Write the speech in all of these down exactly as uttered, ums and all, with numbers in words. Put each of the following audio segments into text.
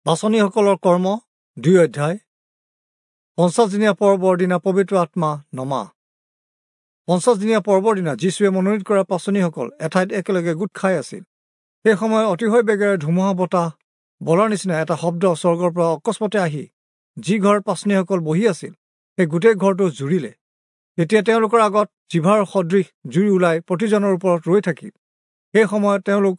পাঁচনিসকলৰ কৰ্ম দুই অধ্যায়। পঞ্চাছদিনীয়া পৰ্বৰ দিনা পবিত্ৰ আত্মা নমা। পঞ্চাছদিনীয়া পৰ্বৰ দিনা যীশুৱে মনোনীত কৰা পাঁচনিসকল এঠাইত একেলগে গোট খাই আছিল। সেই সময়ত অতিশয় বেগেৰে ধুমুহা বতাহ বলাৰ নিচিনা এটা শব্দ স্বৰ্গৰ পৰা অকস্মাতে আহি যি ঘৰত পাঁচনিসকল বহি আছিল সেই গোটেই ঘৰটো জুৰিলে। তেতিয়া তেওঁলোকৰ আগত জিভাৰ সদৃশ জুই ওলাই প্ৰতিজনৰ ওপৰত ৰৈ থাকিল। সেই সময়ত তেওঁলোক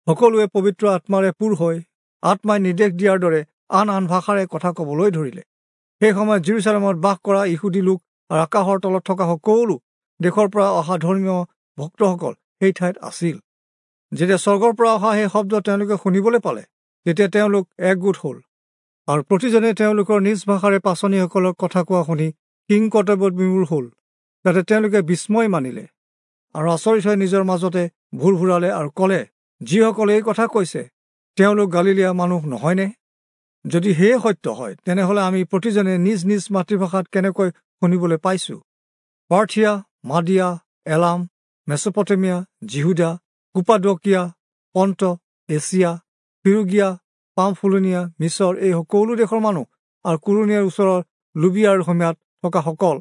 সকলোৱে পবিত্ৰ আত্মাৰে পূৰ হৈ আত্মাই নিৰ্দেশ দিয়াৰ দৰে আন আন ভাষাৰে কথা ক'বলৈ ধৰিলে। সেই সময়ত জিৰচালেমত বাস কৰা ইহুদী লোক আৰু আকাশৰ তলত থকা সকলো দেশৰ পৰা অহা ধৰ্মীয় ভক্তসকল সেই ঠাইত আছিল। যেতিয়া স্বৰ্গৰ পৰা অহা সেই শব্দ তেওঁলোকে শুনিবলৈ পালে, তেতিয়া তেওঁলোক একগোট হ'ল আৰু প্ৰতিজনে তেওঁলোকৰ নিজ ভাষাৰে পাঁচনিসকলক কথা কোৱা শুনি কিং কৰ্তব্যত বিমূৰ হ'ল। তাতে তেওঁলোকে বিস্ময় মানিলে আৰু আচৰিত হৈ নিজৰ মাজতে ভুৰ ভুৰালে আৰু ক'লে, যিসকলে এই কথা কৈছে তেওঁলোক গালিলীয়া মানুহ নহয়নে? যদি সেয়ে সত্য হয়, তেনেহ'লে আমি প্ৰতিজনে নিজ নিজ মাতৃভাষাত কেনেকৈ শুনিবলৈ পাইছোঁ? পাৰ্থিয়া, মাদিয়া, এলাম, মেছপটেমিয়া, জিহুদা, কুপাদকিয়া, পন্ত, এছিয়া, ফিৰুগিয়া, পামফুলনীয়া, মিছৰ এই সকলো দেশৰ মানুহ আৰু কুৰণীয়াৰ ওচৰৰ লুবিয়াৰ সীমাত থকাসকল,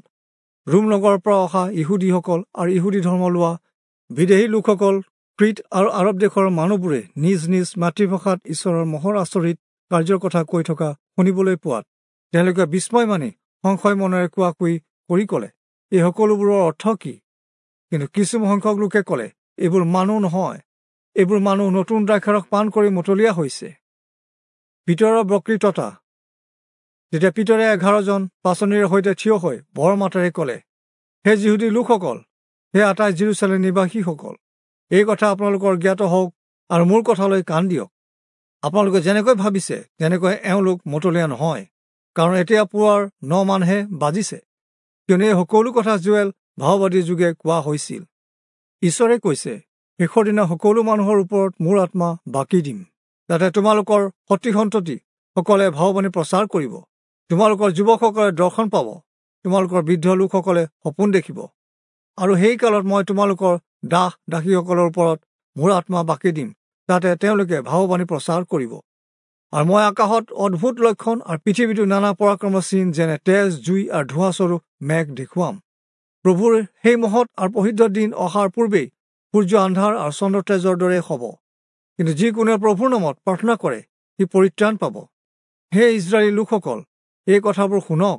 ৰোম নগৰৰ পৰা অহা ইহুদীসকল আৰু ইহুদী ধৰ্ম লোৱা বিদেশী লোকসকল, ক্ৰীত আৰু আৰৱ দেশৰ মানুহবোৰে নিজ নিজ মাতৃভাষাত ঈশ্বৰৰ মহৰ আচৰিত কাৰ্যৰ কথা কৈ থকা শুনিবলৈ পোৱাত তেওঁলোকে বিস্ময় মানি সংশয় মনেৰে কোৱা কুই কৰি ক'লে, এই সকলোবোৰৰ অৰ্থ কি? কিন্তু কিছু সংখ্যক লোকে ক'লে, এইবোৰ মানুহ নহয়, এইবোৰ মানুহ নতুন দ্ৰাক্ষাৰস পান কৰি মতলীয়া হৈছে। পিতৰৰ বক্তৃতা। তেতিয়া পিতৰে এঘাৰজন পাঁচনিৰ সৈতে থিয় হৈ বৰ মাতেৰে ক'লে, হে যিহুদী লোকসকল, হে আটাই জিৰচালেম নিবাসীসকল, এই কথা আপোনালোকৰ জ্ঞাত হওক আৰু মোৰ কথালৈ কাণ দিয়ক। আপোনালোকে যেনেকৈ ভাবিছে তেনেকৈ এওঁলোক মতলীয়া নহয়, কাৰণ এতিয়া পুৱাৰ ন মানহে বাজিছে। কিয়নো এই সকলো কথা জোৱেল ভাওবাদীৰ যোগে কোৱা হৈছিল। ঈশ্বৰে কৈছে, শেষৰ দিনা সকলো মানুহৰ ওপৰত মোৰ আত্মা বাকি দিম, যাতে তোমালোকৰ সতি সন্ততি সকলে ভাওবাণী প্ৰচাৰ কৰিব, তোমালোকৰ যুৱকসকলে দৰ্শন পাব, তোমালোকৰ বৃদ্ধ লোকসকলে সপোন দেখিব। আৰু সেই কালত মই তোমালোকৰ দাস দাসীসকলৰ ওপৰত মোৰ আত্মা বাকি দিম, যাতে তেওঁলোকে ভাওবাণী প্ৰচাৰ কৰিব। আৰু মই আকাশত অদ্ভুত লক্ষণ আৰু পৃথিৱীতো নানা পৰাক্ৰমৰ চিন, যেনে তেজ, জুই আৰু ধোঁৱাস্বৰূপ মেঘ দেখুৱাম। প্ৰভুৰ সেই মহৎ আৰু প্ৰসিদ্ধ দিন অহাৰ পূৰ্বেই সূৰ্য আন্ধাৰ আৰু চন্দ্ৰ তেজৰ দৰে হ'ব। কিন্তু যিকোনোৱে প্ৰভুৰ নামত প্ৰাৰ্থনা কৰে সি পৰিত্ৰাণ পাব। হে ইজৰাইলী লোকসকল, এই কথাবোৰ শুনক।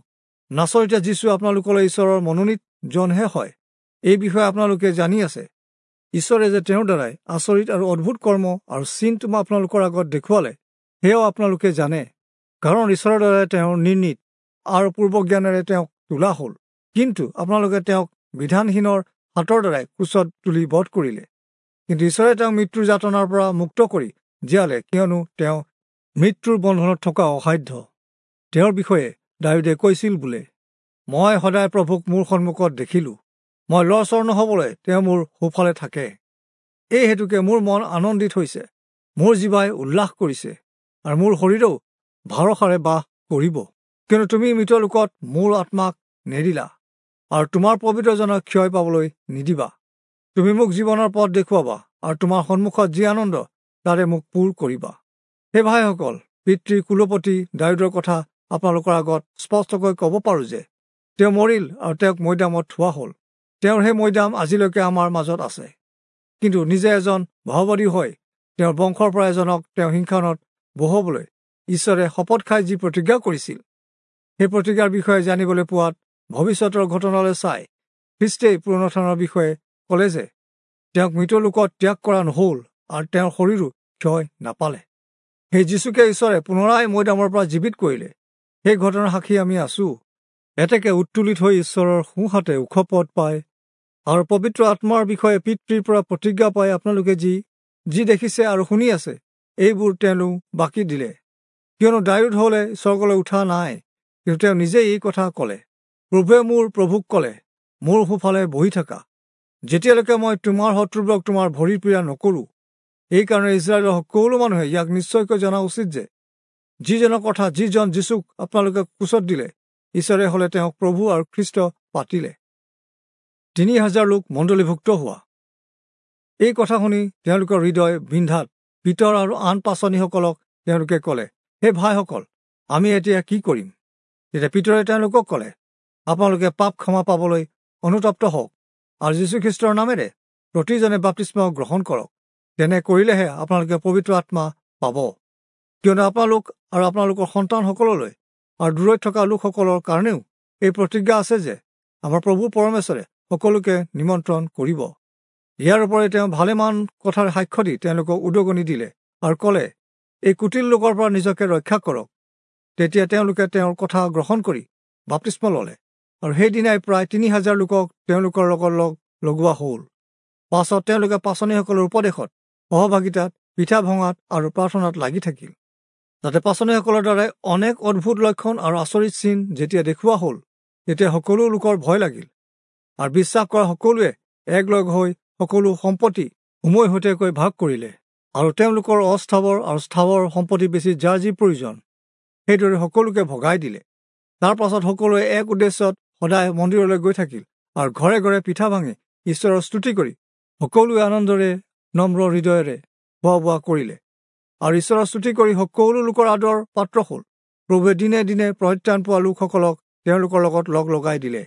নাচৰিতে যীচু আপোনালোকলৈ ঈশ্বৰৰ মনোনীত জনহে হয়, এই বিষয়ে আপোনালোকে জানি আছে। ঈশ্বৰে যে তেওঁৰ দ্বাৰাই আচৰিত আৰু অদ্ভুত কৰ্ম আৰু চিন তোমা আপোনালোকৰ আগত দেখুৱালে, সেয়াও আপোনালোকে জানে। কাৰণ ঈশ্বৰৰ দ্বাৰাই তেওঁৰ নিৰ্ণীত আৰু পূৰ্বজ্ঞানেৰে তেওঁক তোলা হ'ল, কিন্তু আপোনালোকে তেওঁক বিধানহীনৰ হাতৰ দ্বাৰাই ক্ৰুচত তুলি বধ কৰিলে। কিন্তু ঈশ্বৰে তেওঁক মৃত্যুৰ যাতনাৰ পৰা মুক্ত কৰি জীয়ালে, কিয়নো তেওঁ মৃত্যুৰ বন্ধনত থকা অসাধ্য। তেওঁৰ বিষয়ে দায়ূদে কৈছিল বোলে, মই সদায় প্ৰভুক মোৰ সন্মুখত দেখিলোঁ, মই লৰচৰ নহ'বলৈ তেওঁ মোৰ সোঁফালে থাকে। এই হেতুকে মোৰ মন আনন্দিত হৈছে, মোৰ জিভাই উল্লাস কৰিছে, আৰু মোৰ শৰীৰেও ভৰসাৰে বাস কৰিব। কিন্তু তুমি মৃত লোকত মোৰ আত্মাক নেদিলা, আৰু তোমাৰ পবিত্ৰজনক ক্ষয় পাবলৈ নিদিবা। তুমি মোক জীৱনৰ পথ দেখুৱাবা, আৰু তোমাৰ সন্মুখত যি আনন্দ তাৰে মোক পূৰ কৰিবা। হে ভাইসকল, পিতৃ কুলপতি দায়ূদৰ কথা আপোনালোকৰ আগত স্পষ্টকৈ ক'ব পাৰোঁ যে তেওঁ মৰিল আৰু তেওঁক মৈদামত থোৱা হ'ল। তেওঁৰ সেই মৈদাম আজিলৈকে আমাৰ মাজত আছে। কিন্তু নিজে এজন ভাওবাদী হৈ তেওঁৰ বংশৰ পৰা এজনক তেওঁ সিংহাসনত বহাবলৈ ঈশ্বৰে শপত খাই যি প্ৰতিজ্ঞা কৰিছিল, সেই প্ৰতিজ্ঞাৰ বিষয়ে জানিবলৈ পোৱাত ভৱিষ্যতৰ ঘটনালৈ চাই খ্ৰীষ্টেই পুনৰুত্থানৰ বিষয়ে ক'লে যে তেওঁক মৃত লোকত ত্যাগ কৰা নহ'ল আৰু তেওঁৰ শৰীৰো ক্ষয় নাপালে। সেই যীচুকে ঈশ্বৰে পুনৰাই মৈদামৰ পৰা জীৱিত কৰিলে। সেই ঘটনাৰ সাক্ষী আমি আছোঁ। এতেকে উত্তোলিত হৈ ঈশ্বৰৰ সোঁহাতে ওখ পদ পায় আৰু পবিত্ৰ আত্মাৰ বিষয়ে পিতৃৰ পৰা প্ৰতিজ্ঞা পাই আপোনালোকে যি যি দেখিছে আৰু শুনি আছে, এইবোৰ তেওঁলোক বাকি দিলে। কিয়নো দায়ূদ হ'লে স্বৰ্গলৈ উঠা নাই, কিন্তু তেওঁ নিজেই এই কথা ক'লে, প্ৰভুৱে মোৰ প্ৰভুক ক'লে, মোৰ সোঁফালে বহি থাকা, যেতিয়ালৈকে মই তোমাৰ শত্ৰুবোৰক তোমাৰ ভৰিৰ পীড়া নকৰোঁ। এইকাৰণে ইজৰাইলৰ সকলো মানুহে ইয়াক নিশ্চয়কৈ জনা উচিত যে যিজনৰ কথা যিজন যীচুক আপোনালোকে ক্ৰুচত দিলে, ঈশ্বৰে হ'লে তেওঁক প্ৰভু আৰু খ্ৰীষ্ট পাতিলে। তিনি হাজাৰ লোক মণ্ডলীভুক্ত হোৱা। এই কথা শুনি তেওঁলোকৰ হৃদয় বিন্ধাত পিতৰ আৰু আন পাঁচনিসকলক তেওঁলোকে ক'লে, হে ভাইসকল, আমি এতিয়া কি কৰিম? তেতিয়া পিতৰে তেওঁলোকক ক'লে, আপোনালোকে পাপ ক্ষমা পাবলৈ অনুতপ্ত হওক আৰু যীশুখ্ৰীষ্টৰ নামেৰে প্ৰতিজনে বাপ্তিস্ম গ্ৰহণ কৰক। তেনে কৰিলেহে আপোনালোকে পবিত্ৰ আত্মা পাব। কিয়নো আপোনালোক আৰু আপোনালোকৰ সন্তানসকললৈ আৰু দূৰৈত থকা লোকসকলৰ কাৰণেও এই প্ৰতিজ্ঞা আছে যে আমাৰ প্ৰভু পৰমেশ্বৰে সকলোকে নিমন্ত্ৰণ কৰিব। ইয়াৰ উপৰি তেওঁ ভালেমান কথাৰ সাক্ষ্য দি তেওঁলোকক উদগনি দিলে আৰু ক'লে, এই কুটিল লোকৰ পৰা নিজকে ৰক্ষা কৰক। তেতিয়া তেওঁলোকে তেওঁৰ কথা গ্ৰহণ কৰি বাপ্তিস্ম ল'লে আৰু সেইদিনাই প্ৰায় তিনি হাজাৰ লোকক তেওঁলোকৰ লগত লগ লগোৱা হ'ল। পাছত তেওঁলোকে পাচনিসকলৰ উপদেশত, সহভাগিতাত, পিঠা ভঙাত আৰু প্ৰাৰ্থনাত লাগি থাকিল। যাতে পাচনিসকলৰ দ্বাৰাই অনেক অদ্ভুত লক্ষণ আৰু আচৰিত চিন যেতিয়া দেখুওৱা হ'ল, তেতিয়া সকলো লোকৰ ভয় লাগিল আৰু বিশ্বাস কৰা সকলোৱে একলগ হৈ সকলো সম্পত্তি উমৈহতীয়াকৈ ভাগ কৰিলে আৰু তেওঁলোকৰ অস্থাৱৰ আৰু স্থাৱৰ সম্পত্তি বেছি যাৰ যি প্ৰয়োজন সেইদৰে সকলোকে ভগাই দিলে। তাৰ পাছত সকলোৱে এক উদ্দেশ্যত সদায় মন্দিৰলৈ গৈ থাকিল আৰু ঘৰে ঘৰে পিঠা ভাঙি ঈশ্বৰৰ স্তুতি কৰি সকলোৱে আনন্দৰে নম্ৰ হৃদয়েৰে খোৱা বোৱা কৰিলে আৰু ঈশ্বৰৰ স্তুতি কৰি সকলো লোকৰ আদৰ পাত্ৰ হ'ল। প্ৰভুৱে দিনে দিনে পৰিত্ৰাণ পোৱা লোকসকলক তেওঁলোকৰ লগত লগ লগাই দিলে।